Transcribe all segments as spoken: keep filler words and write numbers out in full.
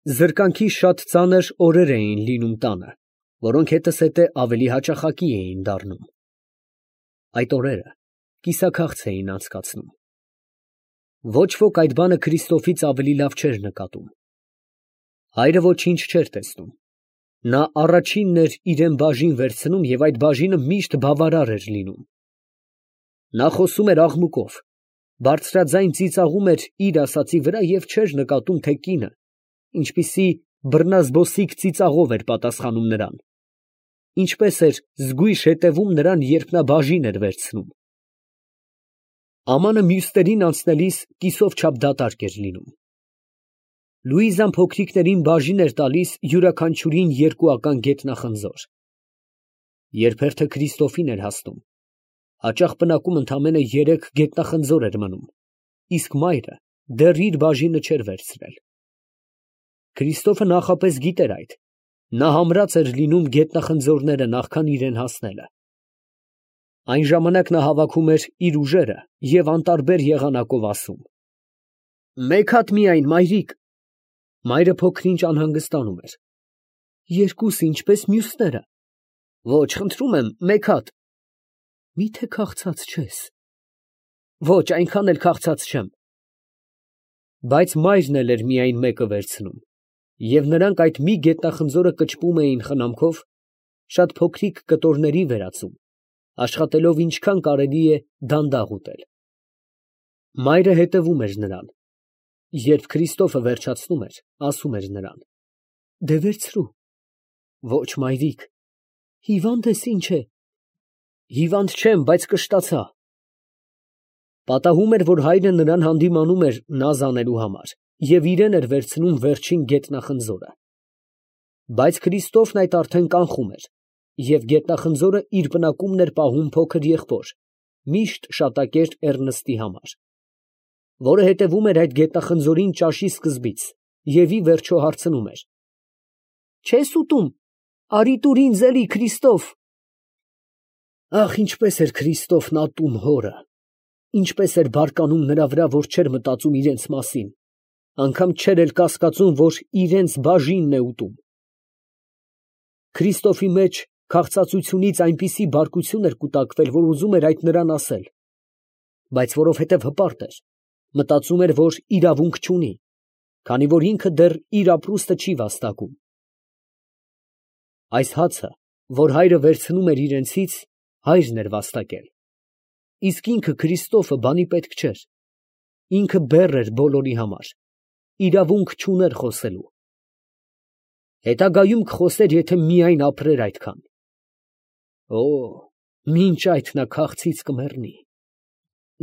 Զրկանքի շատ ծանր օրեր էին լինում տանը, որոնք հետզհետե ավելի հաճախակի էին դառնում. այդ օրերը կիսաքաղց էին անցկացնում։ Ոչ ոք այդ բանը Քրիստոֆից ավելի լավ չէր նկատում։ Հայրը ոչինչ չէր տեսնում։ Նա առաջինն էր իրան բաժին վերցնում և այդ բաժինը միշտ բավարար էր լինում։ Նա խոսում էր աղմուկով, բարձրաձայն ծիծաղում էր իր ասածի վրա և չէր նկատում, թե կինը ինչպիսի բռնազբոսիկ ծիծաղով էր պատասխանում նրան, ինչպես էր զգույշ հետևում նրան, երբ նա բաժին էր վերցնում։ Ամանը մյուսներին անցնելիս կիսով չափ դատարկ էր լինում։ Լուիզան փոքրիկներին բաժին էր տալիս յուրաքանչյուրին երկուական գետնախնձոր։ Երբ հերթը Քրիստոֆին էր հասնում, հաճախ պնակում ընդամենը երեք գետնախնձոր էր մնում, իսկ մայրը դեռ իր բաժինը չէր վերցրել։ Քրիստոֆը նախապես գիտեր այդ, նա համրած էր լինում գետնախնձորները նախքան իրան հասնելը։ Այն ժամանակ նա հավաքում էր իր ուժերը և անտարբեր եղանակով ասում. «Մեկ հատ միայն, մայրիկ»։ Մայրը փոքր-ինչ անհանգստանում էր։ «Երկուս, ինչպես մյուսները»։ «Ոչ, խնդրում եմ, մեկ հատ»։ «Մի՞թե քաղցած չես»։ «Ոչ, այնքան էլ քաղցած չեմ»։ Բայց մայրն էլ էր միայն մեկը վերցնում, և նրանք այդ մի գետնախնձորը կճպում էին խնամքով, շատ փոքրիկ կտորների վերածում, աշխատելով ինչքան կարելի է դանդաղ ուտել։ Մայրը հետևում էր նրան։ Երբ Քրիստոֆը վերջացնում էր, ասում էր նրան. «Դե վերցրու»։ «Ոչ, մայրիկ»։ «Հիվանդ ես, ի՞նչ է»։ «Հիվանդ չեմ, բայց կշտացա»։ Պատահում էր, որ հայրը նրան հանդիմանում էր նազ անելու համար և իրան էր վերցնում վերջին գետնախնձորը։ Բայց Քրիստոֆն այդ արդեն կանխում էր, և գետնախնձորը իր բնակումն էր պահում փոքր եղբոր, միշտ շատակեր Էռնստի համար, որը հետևում էր այդ գետնախնձորին ճաշի սկզբից և ի վերջո հարցնում էր. «Չե՞ս ուտում, արի տուր ինձ էլի, Քրիստոֆ»։ Ախ, ինչպես էր Քրիստոֆն ատում հորը, ինչպես էր բարկանում նրա վրա, որ չէր մտածում իրենց մասին, անգամ չէր էլ կասկածում, որ իրենց բաժինն է ուտում։ Քրիստոֆի մեջ քաղցածությունից այնպիսի բարկություն էր կուտակվել, որ ուզում էր այդ նրան ասել, բայց որովհետև հպարտ էր, մտածում էր, որ իրավունք չունի, քանի որ ինքը դեռ իր ապրուստը չի վաստակում։ Այս հացը, որ հայրը վերցնում էր իրենցից, հայրն էր վաստակել, իսկ ինքը Քրիստոֆը բանի պետք չէր, ինքը բեռ էր բոլորի համար, իրավունք չուներ խոսելու։ Հետագայում կխոսեր, եթե միայն ապրեր այդքան։ Օ, մինչ այդ նա քաղցից կմեռնի։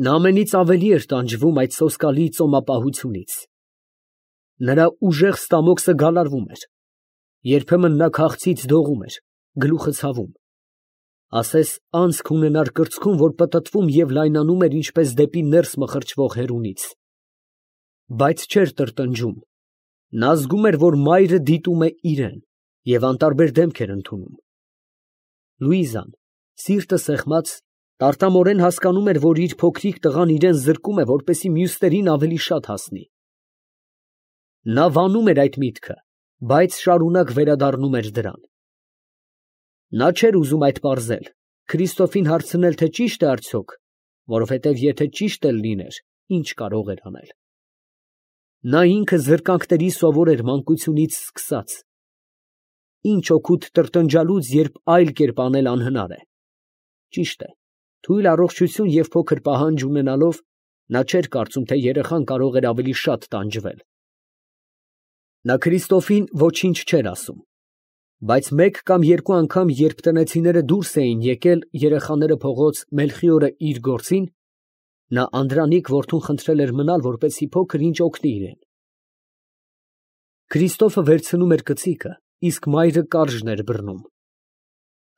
Նա ամենից ավելի էր տանջվում այդ սոսկալի ծոմապահությունից։ Նրա ուժեղ ստամոքսը գալարվում էր, երբեմն նա քաղցից դողում էր, գլուխը ցավում, ասես անցք ունենար կրծքում, որ պտտվում և լայնանում էր ինչպես դեպի ներս մխրճվող հեռունից։ Բայց չէր տրտնջում, նա զգում էր, որ մայրը դիտում է իրան և անտարբեր դեմք էր ընդունում։ Լուիզան, սիրտը սեղմած, տարտամորեն հասկանում էր, որ իր փոքրիկ տղան իրան զրկում է, որպեսզի մյուսներին ավելի շատ հասնի։ Նա վանում էր այդ միտքը, բայց շարունակ վերադառնում էր դրան։ Նա չէր ուզում այդ պարզել, Քրիստոֆին հարցնել, թե ճի՞շտ է արդյոք, որովհետև եթե ճիշտ էլ լիներ, ի՞նչ կարող էր անել։ Նա ինքը զրկանքների սովոր էր մանկությունից սկսած։ Ինչ օգուտ տրտնջալուց, երբ այլ կերպ անել անհնար է։ Ճիշտ է, թույլ առողջություն և փոքր պահանջ ունենալով, նա չէր կարծում, թե երեխան կարող էր ավելի շատ տանջվել։ Նա Քրիստոֆին ոչինչ չէր ասում, բայց մեկ կամ երկու անգամ, երբ տնեցիները դուրս էին եկել երեխաները փողոց Մելխիորը իր գործին, նա անդրանիկ որդուն խնդրել էր մնալ, որպեսզի փոքր ինչ օգնի իրան։ Քրիստոֆը վերցնում էր կծիկը, իսկ մայրը կարժն էր բռնում։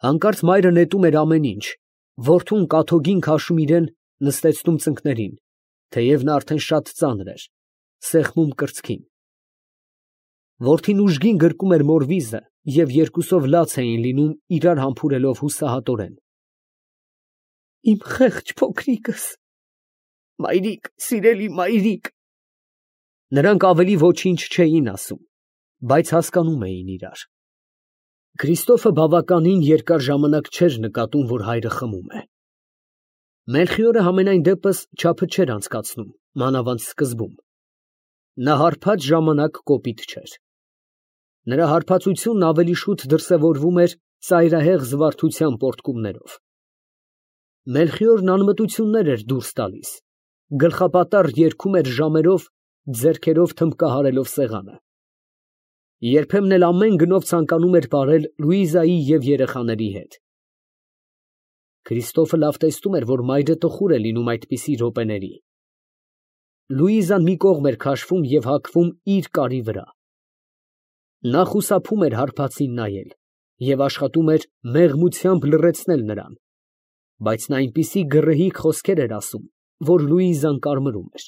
Հանկարծ մայրը նետում էր ամեն ինչ, որդուն կաթոգին քաշում իրան, նստեցնում ծնկներին, թեև նա արդեն շատ ծանր էր, սեղմում կրծքին։ Որդին ուժգին գրկում էր մոր վիզը և երկուսով լաց էին լինում, իրար համբուրելով հուսահատորեն։ Իմ խեղճ փոքրիկս, մայրիկ, սիրելի մայրիկ։ Նրանք ավելի ոչինչ չէին ասում, բայց հասկանում էին իրար։ Քր።իստոֆը բավականին երկար ժամանակ չէր նկատում, որ հայրը խմում է։ Մելխիորը համենայն դեպս չափը չէր անցկացնում, մանավանդ սկզբում։ Նա հարբած ժամանակ կոպիտ չէր։ Նրա հարբածությունն ավելի շուտ դրսևորվում էր ծայրահեղ զվարթության պոռթկումներով։ Մելխիորն անմտություններ էր դուրս տալիս, գլխապատառ երգում էր ժամերով, ձեռքերով թմբկահարելով սեղանը։ Երբեմն էլ ամեն գնով ցանկանում էր պարել Լուիզայի և երեխաների հետ։ Քրիստոֆը լավ տեսնում էր, որ մայրը տխուր է լինում այդպիսի րոպեների։ Լուիզան մի կողմ էր քաշվում և հագվում իր կարի վրա։ Նա խուսափում էր հարբածին նայել և աշխատում էր մեղմությամբ լռեցնել նրան, բայց նա այնպիսի գռեհիկ խոսքեր էր ասում, որ Լուիզան կարմրում էր։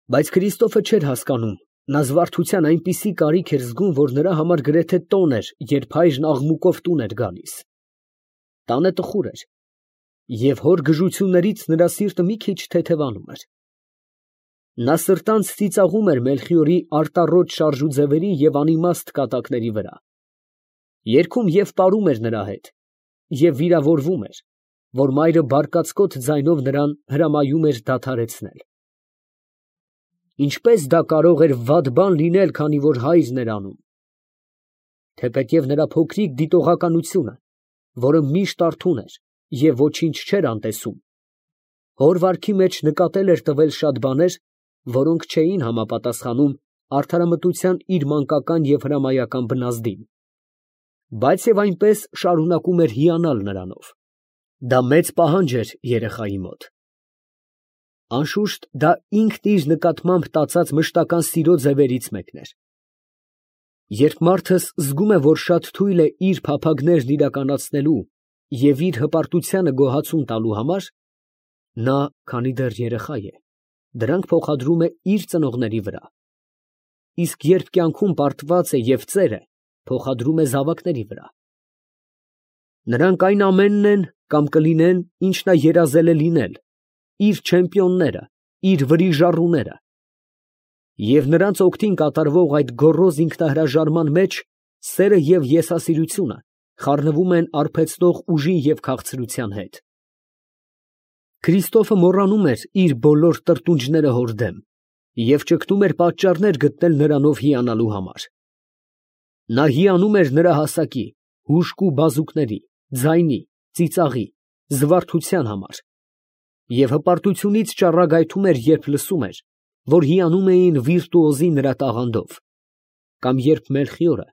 Բայց Քրիստոֆը չէր հասկանում, նա զվարթության այնպիսի կարիք էր զգում, որ նրա համար գրեթե տոն էր, երբ հայրն աղմուկով տուն էր գալիս։ Տանը տխուր էր, և հոր գժություններից նրա սիրտը մի քիչ թեթևանում էր։ Նա սրտանց ծիծաղում էր Մելխիորի արտառոտ շարժուձևերի և անիմաստ կատակների վրա։ Երգում և պարում էր նրա հետ և վիրավորվում էր, որ մայրը բարկացկոտ ձայնով նրան հրամայում էր դադարեցնել։ Ինչպես դա կարող էր վատ բան լինել, քանի որ հայրն էր անում։ Թեպետև նրա փոքրիկ դիտողականությունը, որը միշտ արթուն էր և ոչինչ չէր անտեսում, հոր վարքի մեջ նկատել էր տվել շատ բաներ, որոնք չէին համապատասխանում արդարամտության իր մանկական և հրամայական բնազդին, բայց և այնպես շարունակում էր հիանալ նրանով։ Դա մեծ պահանջ էր երեխայի մոտ։ Անշուշտ, դա ինքն իր նկատմամբ տածած մշտական սիրո ձևերից մեկն էր։ Երբ մարդը զգում է, որ շատ թույլ է իր փափագներն իրականացնելու և իր հպարտությանը գոհացում տալու համար, նա, քանի դեռ երեխա է, դրանք փոխադրում է իր ծնողների վրա, իսկ երբ կյանքում պարտված է և ծեր է, փոխադրում է զավակների վրա։ Նրանք այն ամենն են կամ կլինեն, ինչ նա երազել է լինել, իր չեմպիոնները, իր վրիժառուները։ Եվ նրանց օգտին կատարվող այդ գոռոզ ինքնահրաժարման մեջ սերը և եսասիրությունը խառնվում են արբեցնող ուժի և քաղցրության հետ։ Քրիստոֆը մոռանում էր իր բոլոր տրտունջները հոր դեմ և ճգնում էր պատճառներ գտնել նրանով հիանալու համար։ Նա հիանում էր նրա հասակի, հուժկու բազուկների, ձայնի, ծիծաղի, զվարթության համար և հպարտությունից ճառագայթում էր, երբ լսում էր, որ հիանում էին վիրտուոզի նրա տաղանդով, կամ երբ Մելխիորը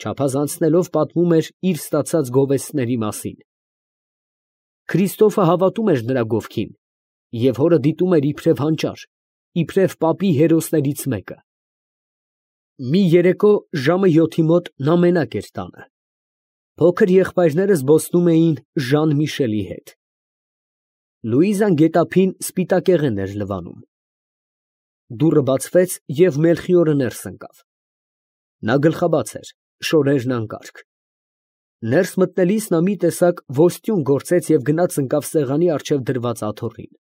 չափազանցնելով պատմում էր իր ստացած գովեստների մասին։ Քրիստոֆը հավատում էր նրա գովքին և հորը դիտում էր իբրև հանճար, իբրև պապի հերոսներից մեկը։ Մի երեկո ժամը յոթի մոտ նա մենակ էր տանը։ Փոքր եղբայրները զբոսնում էին Ժան Միշելի հետ։ Լուիզան գետափին սպիտակեղեն էր լվանում։ Դուռը բացվեց, և Մելխիորը ներս ընկավ։ Նա գլխաբաց էր, շորերն անկարգ։ Ներս մտնելիս նա մի տեսակ ոստյուն գործեց և գնաց ընկավ սեղանի առջև դրված աթոռին։